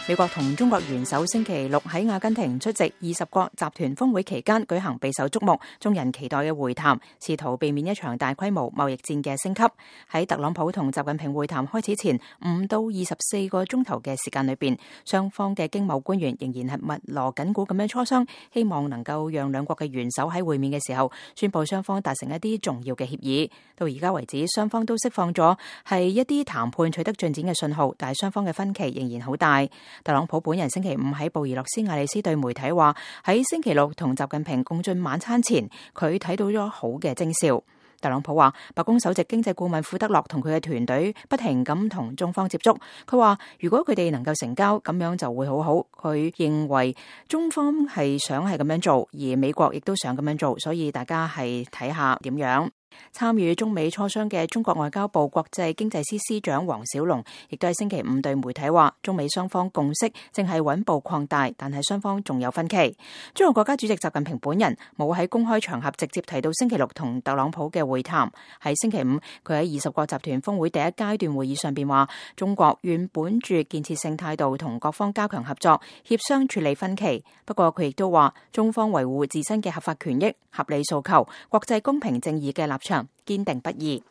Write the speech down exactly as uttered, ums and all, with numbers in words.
美國同中國元首星期六喺阿根廷出席二十國集團峰會期間舉行備受矚目、眾人期待嘅會談，試圖避免一場大規模貿易戰嘅升級。喺特朗普同習近平會談開始前五到二十四個鐘頭嘅時間裏邊，雙方嘅經貿官員仍然係密鑼緊鼓咁樣磋商，希望能夠讓兩國嘅元首喺會面嘅時候宣布雙方達成一啲重要嘅協議。到而家為止，雙方都釋放咗係一啲談判取得進展嘅信號，但係雙方嘅分歧仍然好大。特朗普本人星期五喺布宜諾斯艾利斯對媒體話，喺星期六同習近平共進晚餐前，佢睇到咗好嘅徵兆。特朗普話，白宮首席經濟顧問庫德洛同佢嘅團隊不停咁同中方接觸。佢話如果佢哋能夠成交，咁樣就會好好。佢認為中方係想係咁樣做，而美國亦都想咁樣做，所以大家係睇下點樣。參與中美磋商嘅中國外交部國際經濟司司長黃小龍亦都喺星期五對媒體話，中美雙方共識正係穩步擴大，但係雙方仲有分歧。中國國家主席習近平本人冇喺公開場合直接提到星期六同特朗普嘅會談。喺星期五，佢喺二十國集團峰會第一階段會議上邊話，中國願本住建設性態度同各方加強合作，協商處理分歧。不過佢亦都話，中方維護自身嘅合法權益、合理訴求、國際公平正義嘅立場堅定不移。